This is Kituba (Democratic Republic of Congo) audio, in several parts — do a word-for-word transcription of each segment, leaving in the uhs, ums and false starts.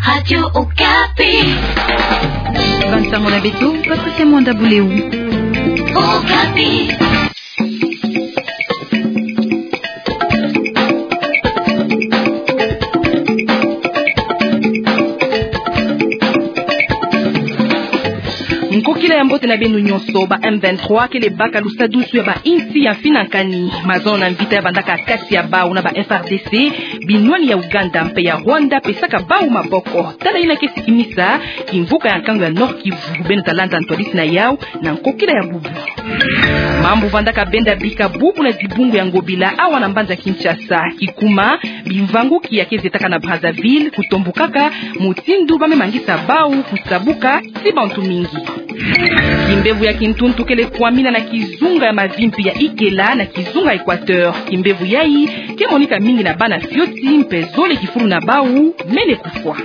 Radio Okapi. Bansango na beto, Patricia Mwanda Buleu. Okapi. Nkokila ya mbote na beno nyonso. Ba M vingt-trois kele baka lusadusu ya bainsi ya mfinankani. Mazono na mvita ya vandaka kati ya bau na ba F R D C, binwani ya Ouganda mpe ya Rwanda pesaka bau maboko. Tala yina ke sikimisa kimvuka ya nkangu ya Nord-Kivu. Beno ta landa ntwadisi na yau na nkokila ya bubu. Mambu vandaka benda bika bubu na dibungu ya Ngobila awa na mbanza Kinshasa. Kikuma, bimvanguki ya ke zetaka na Brazzaville, kutombukaka mutindu ba me mangisa bau kusabuka ti bantu mingi. Kimbevo ya kintuntu kele kwamina na kizunga ya mavimpi ya Ikela na kizunga Equateur. Kimbevo yayi ke monika mingi na bana fioti mpe zole kifulu na bau mene kufwa.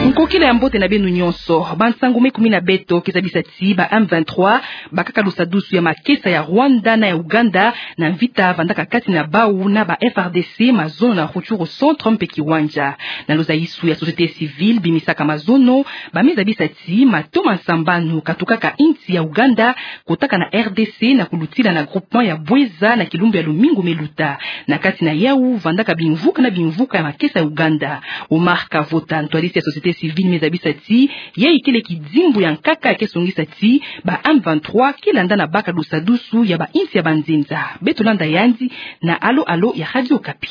Nkokila ya mbote na beno nyonso. Bansangu me kumi na beto ke zabisa ti ba M vingt-trois bakaka lusadusu ya makesa ya Rwanda na ya Ouganda na mvita vandaka kati na bau na ba F R D C mazono na Rutshuru Centre mpe Kiwanja. Na luzayisu ya société civile bimisaka mazono, ba me zabisa ti matoma nsambanu katukaka insi ya Ouganda kotaka na R D C na kulutila na groupement ya Bweza na kilumbu ya lumingu me luta. Na kati na yau vandaka bimvuka na bimvuka ya makesa ya Ouganda. Omar Kavota, ntwadisi ya société civile, me zabisa ti yayi kele kidimbu ya nkaka ya ke songisa ti ba M vingt-trois ke landa na baka lusadusu ya bainsi ya banzenza. Beto landa yandi na Alo Alo ya Radio Okapi.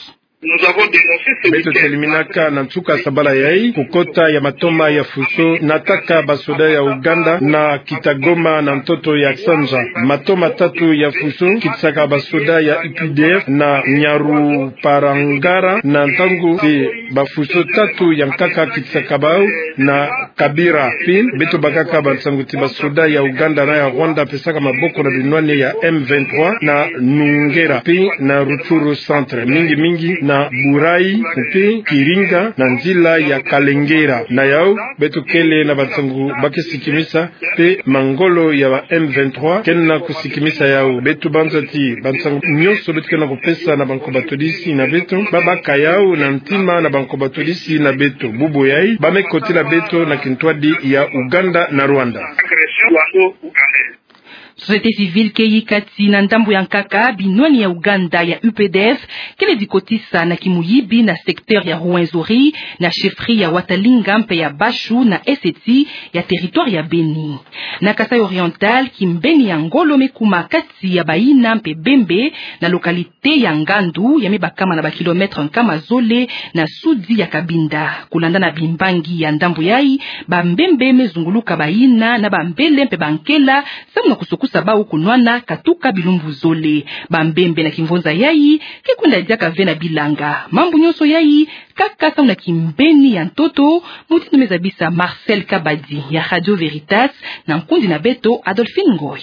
Beto teliminaka na nsuka sabala yayi kukota ya matoma ya fuso nataka basoda ya Ouganda na Kitagoma na ntoto ya Ksanja. Matoma tatu ya fuso kitisaka basoda ya U P D F na Nyaruparangara na ntangu ti bafuso tatu ya nkaka kitisaka bau na Kabira. Pi beto bakaka bansangu ti basoda ya Ouganda na ya Rwanda pesaka maboko na binwani ya M vingt-trois na Nungera pi na Rutshuru Centre, mingi mingi na Burayi pi Kiringa na nzila ya Kalengera. Na yau beto kele na bansangu ba ke sikimisa pe mangolo ya ba M vingt-trois kena kusikimisa yau. Beto banza ti bansangu nyonso beto kena kupesa na banko batodisi na beto, ba baka yau na ntima na banko batodisi na beto. Bubu yayi ba me kotila beto na kintwadi ya Ouganda na Rwanda. Société civile ke yika ti na ndambu ya nkaka binwani ya Ouganda ya U P D F kele dikotisa na kimuyibi na secteur ya Rwenzori, na chefferie ya Watalinga mpe ya Bashu na eseti ya territoire ya Beni. Na Kasaï Oriental, kimbeni ya ngolo me kuma kati ya bayina mpe bembe na localité ya Ngandu, ya me bakama na ba kilomètre nkama zole na sudi ya Cabinda. Kulanda na bimbangi ya ndambu yayi, bambembe me zunguluka bayina na bambele mpe bankela, samu na kusokusa bau kunwana katuka bilumbu zole. Bambembe na kimvonza yayi ke kwenda diaka ve na bilanga. Mambu nyonso yayi kaka samu na kimbeni ya ntoto, mutindu me zabisa Marcel Kabadi ya Radio Veritas na nkundi na beto Adolphine Ngoy.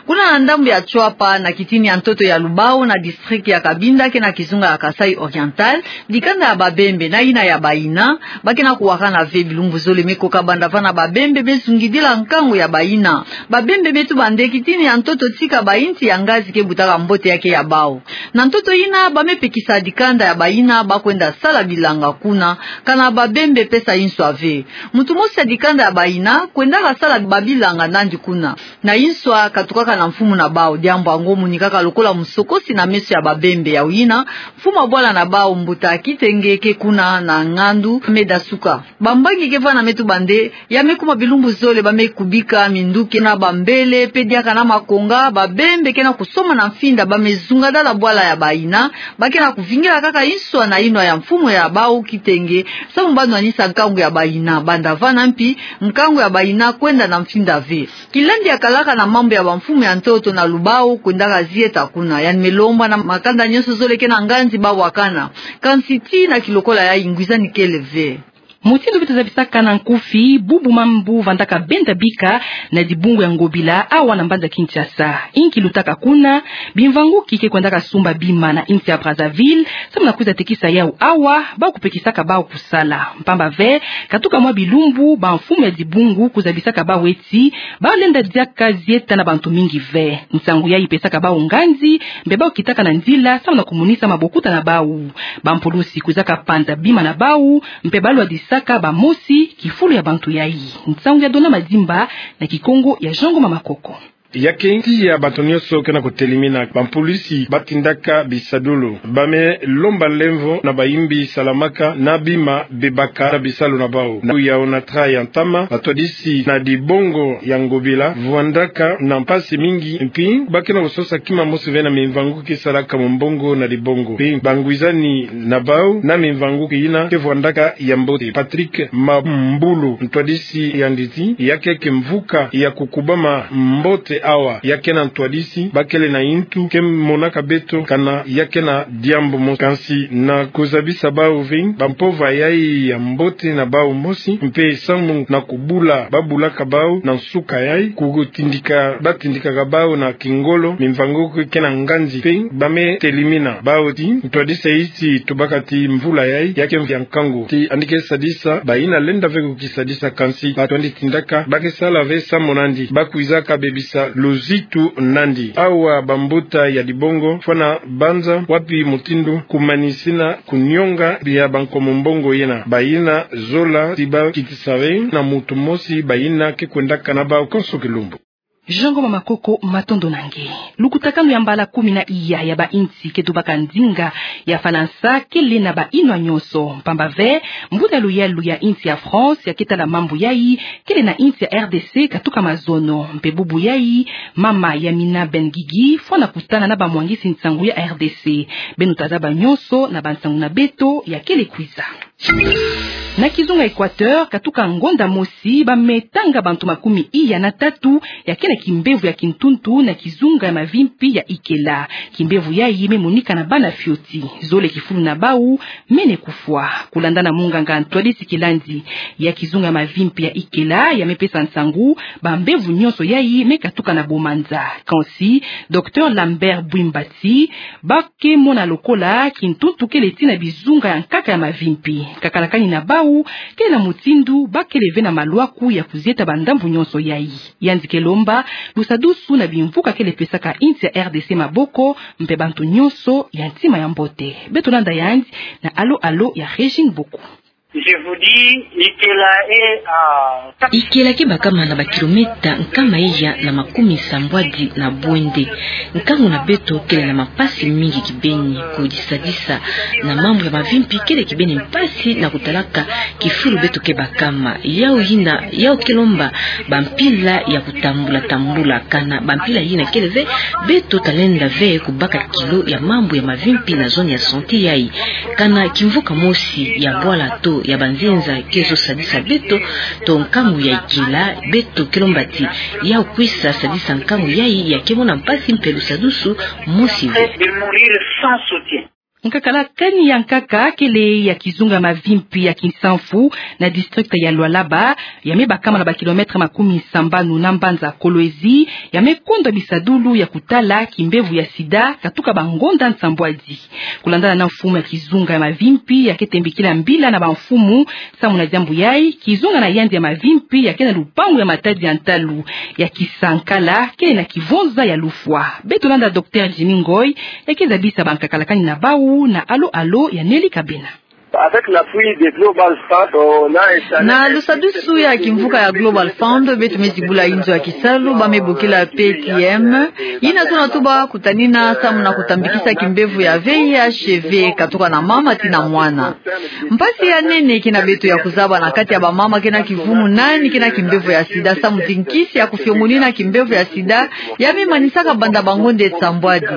Kuna na ndambu ya Tshuapa, na kitini ya ntoto ya Lubao, na district ya Cabinda ke na kizunga ya Kasaï Oriental, dikanda ya babembe na yina ya bayina ba ke na kuwakana ve. Bilumbu zole me koka banda vana babembe me zungidila nkangu ya bayina. Babembe me tuba nde kitini ya ntoto tika bainsi ya ngazi ke butaka mbote ya ke ya bau. Na ntoto yina ba me pekisa dikanda ya bayina ba kwenda sala bilanga kuna, kana babembe pesa inswa ve. Mutu mosi ya dikanda ya bayina kwendaka sala babilanga nandi kuna. Na inswa katukaka na mfumu na bau. Diambu yango monikaka lokola musokosi na meso ya babembe. Yawu yina, mfumu ya bwala na bau, mbuta Kitenge, ke kuna na Ngandu me dasuka. Bambangi ke vana me tuba nde ya me kuma bilumbu zole ba me kubika minduki na bambele pe diaka na makonga. Babembe ke na kusomba na mfinda, ba me zungadala bwala ya bayina, ba ke na kuvingila kaka inswa na yinwa ya mfumu ya bau Kitenge, samu ba nwanisa nkangu ya bayina. Banda vana mpi, nkangu ya bayina kwenda na mfinda ve. Kilandi ya kalaka na mambu ya bamfumu ya ntoto na Lubao kwendaka zieta kuna. Yandi me lomba na makanda nyonso zole ke na nganzi ba wakana. Kansi tii na kilokola yayi ngwizani kele ve. Mutindu beto zabisaka na nkufi, bubu mambu vandaka benda bika na dibungu ya Ngobila awa na mbanza Kinshasa. Inki lutaka kuna? Bimvanguki ke kwendaka sumba bima na insi ya Brazzaville, samu na kwiza tekisa yau awa, bau kupekisaka bau kusala. Mpamba ve, katuka mwa bilumbu, bamfumu ya dibungu kuzabisaka bau ti bau lenda diaka zieta na bantu mingi ve. Nsangu yayi ipesaka bau nganzi, mpe bau kitaka na nzila samu na kumonisa mabokuta na bau. Bampulusi kwizaka panza bima na bau, mpe balwadisaka bamosi kifulu ya bantu yayi. Nsangu ya Dona Madimba na Kikongo ya Jean Ngoma Makoko. Ya ke nti ya bato nyonso ke na kutelimina, bampulusi batindaka bisadulu. Ba me lomba lemvo na bayimbi salamaka na bima bebaka na bisalu na bau. Na ya Onatra ya ntama, batwadisi na dibongo ya Ngobila vwandaka na mpasi mingi, mpi ba ke na kusosa kima mosi ve na mimvanguki salaka mumbongo na dibongo. Mpi bangwizani na bau na mimvanguki yina ke vwandaka ya mbote. Patrick Mambulu, ntwadisi ya nditi, ya ke kimvuka ya kukubama mbote awa, ya ke na ntwadisi, ba kele na yintu ke monaka beto, kana ya ke na diambu mosi. Kansi na kuzabisa bau ve, bampova yayi ya mbote na bau mosi, mpe samu na kubula babulaka bau na nsuka yayi, kutindika, batindikaka bau na kingolo, mimvanguki ke na nganzi. Mpe ba me telimina bau ti, ntwadisi yayi ti tubaka ti mvula yayi ya ke mvula ya nkangu. Ti yandi ke sadisa, bayina lenda ve kukisadisa, kansi bato yandi tindaka, ba ke sala ve samu na yandi, ba kwizaka bebisa luzitu na yandi. Awa bambuta ya dibongo, fwana banza wapi mutindu kumanisina kunyonga bia banko mumbongo yina. Bayina zola ti ba kitisa ve na muntu mosi bayina ke kwendaka na bau konso kilumbu. Jean Ngoma Makoko, matondo na nge. Lukutakanu ya mbala kumi na iya ya bainsi ke tubaka ndinga ya Falansa kele na bayinwa nyonso. Mpamba ve, mbuta luyalu ya insi ya France ya ke tala mambu yayi kele na insi ya R D C katuka mazono. Mpe bubu yayi, mama Yamina Ben Guigui fwana kutana na bamwangisi nsangu ya R D C. Beno ta zaba nyonso na bansangu na beto ya kele kwiza. Na kizunga Equateur, katuka ngonda mosi, ba me tanga bantu makumi iya na tatu ya ke na kimbevo ya kintuntu na kizunga ya mavimpi ya Ikela. Kimbevo yayi me monika na bana fioti. Zole kifulu na bau mene kufwa. Kulanda na munganga ntwadisi kilandi ya kizunga ya mavimpi ya Ikela, ya me pesa nsangu, bambevo nyonso yayi me katuka na bomanza. Kansi, Docteur Lambert Bwimbati, ba ke mona lokola kintuntu kele ti na bizunga ya nkaka ya mavimpi. Kakalakani na bau, kele na mutindu ba kele ve na malwaku ya kuzieta bandambu nyonso yayi. Yandi ke lomba lusadusu na bimvuka kele pesaka insi ya R D C maboko, mpe bantu nyonso ya ntima ya mbote. Beto landa yandi na alo-alo ya Régine Boku. Je vous dis, Ikela est à Ikela ke bakama na bakilometa nkama iya na makumi sambwadi na bwende. Nkangu na beto kele na mampasi mingi kibeni. Kudisadisa na mambu ya mavimpi kele kibeni mpasi na kutalaka kifulu beto ke bakama. Yau yina, yau ke lomba bampila ya kutambula-tambula, kana bampila yina kele ve, beto ta lenda ve kubaka kilo ya mambu ya mavimpi na zone ya santé yayi. Kana kimvuka mosi ya bwala to ya banzenza ke zo sadisa beto, to nkangu ya Ikela, beto ke lomba ti yau kwisa sadisa nkangu yayi ya ke mona mpasi mpe lusadusu mosi ve. De mourir sans soutien. Nkakalakani ya nkaka kele ya kizunga mavimpi ya Kinsamvu na district ya Lualaba, ya me bakama na bakilomètre makumi sambanu na mbanza Kolwezi, ya me kondwa bisadulu ya kutala kimbevo ya sida katuka bangonda nsambwadi. Kulandana na mfumu ya kizunga ya mavimpi ya ke tembikila mbila na bamfumu, samu na diambu yayi, kizunga na yandi ya mavimpi ya ke na lupangu ya matadi ya ntalu ya Kisankala, kele na kivonza ya lufwa. Beto landa Docteur Jimmy Ngoy, ya ke zabisa bankakalakani na bau na alo-alo ya Nelly Kabena. Avec l'appui de Global Fund, on a installé Na lusadusu ya kimvuka ya Global Fund, beto me zibula inzo ya kisalu, ba me bokila P T M. Yina tuna tuba kutanina samu na kutambikisa kimbevo ya V I H V katuka na mama tii na mwana. Mpasi ya nene ke na beto ya kuzaba na kati ya bamama ke na kivumu nani ke na kimbevo ya sida, samu ti nkisi ya kufiongonina kimbevo ya sida ya me manisaka banda bangonda nsambwadi.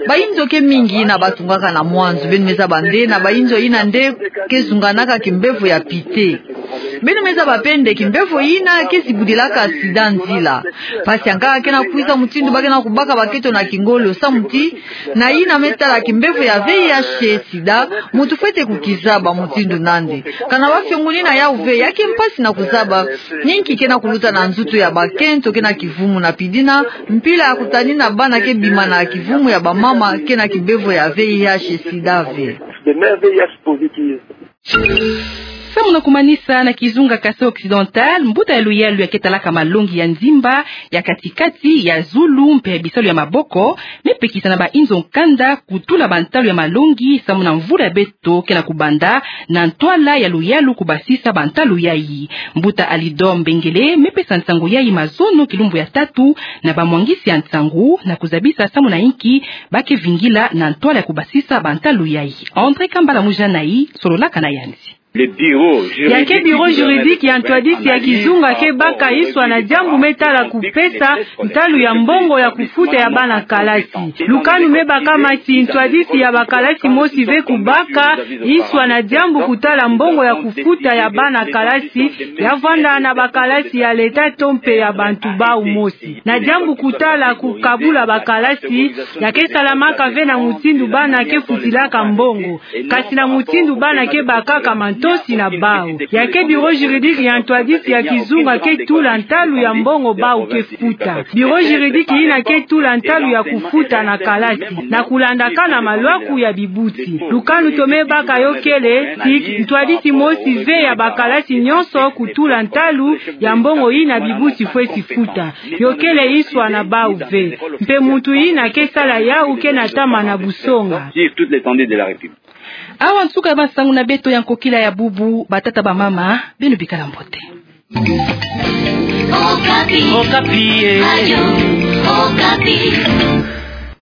Bainzo ke mingi yina ba tungaka na mwanzu, beno me zaba nde na bainzo yina nde ke zunganaka kimbevo ya pite. Beno me zaba mpe nde kimbevo yina ke zibudilaka sida nzila. Mpasi ya nkaka ke na kwiza mutindu ba ke na kubaka bakento na kingolo samu ti na yina me tala kimbevo ya V I H sida, muntu fwete kukizaba mutindu nandi. Kana ba fiongunina yau ve, ya ke mpasi na kuzaba, ni nki ke na kuluta na nzutu ya bakento ke na kivumu na pidina mpila ya kutanina bana ke bima na kivumu ya bamama ke na kimbevo ya V I H sida ve. Samu na kumanisa, na kizunga Kasaï Occidental, mbuta ya luyalu ya ke talaka malongi ya nzimba, ya kati-kati, ya zulu mpe bisalu ya maboko, me pekisa na ba inzo nkanda kutula bantalu ya malongi samu na mvula ya beto ke na kubanda, na ntwala ya luyalu kubasisa bantalu yayi. Mbuta Alidor Mbengele me pesa nsangu yayi mazono kilumbu ya tatu na bamwangisi ya nsangu na kuzabisa samu na inki ba ke vingila na ntwala ya kubasisa bantalu yayi. André Kambala Mujanai sololaka na yandi. Ya ke bureau juridique ya ntwadisi ya kizunga ke baka nswa na diambu me tala kupesa ntalu ya mbongo ya kufuta ya bana kalasi. Lukanu me baka mati ntwadisi ya bakalasi mosi ve kubaka nswa na diambu kutala mbongo ya kufuta ya bana kalasi ya vanda na bakalasi ya leta to mpe ya bantu bau mosi. Na diambu kutala kukabula bakalasi, ya ke salamaka ve na mutindu bana ke futilaka mbongo, kasi na mutindu bana ke bakaka mantosi na bau. Ya ke bureau juridique ya ntwadisi ya kizunga ke tula ntalu ya mbongo bau ke futa. Bureau juridique yina ke tula ntalu ya kufuta na kalasi, na kulandaka na malwaku ya bibuti. Lukanu to me baka yo kele ti ntwadisi mosi ve ya bakalasi nyonso kutula ntalu ya mbongo yina bibuti fweti futa. Yo kele nswa na bau ve. Mpe muntu yina ke sala yau ke na tama na busonga. Awa nsuka ya bansangu na beto ya nkokila ya bubu, batata bamama, beno bikala mbote. Okapi. Okapi, eh. Radio Okapi.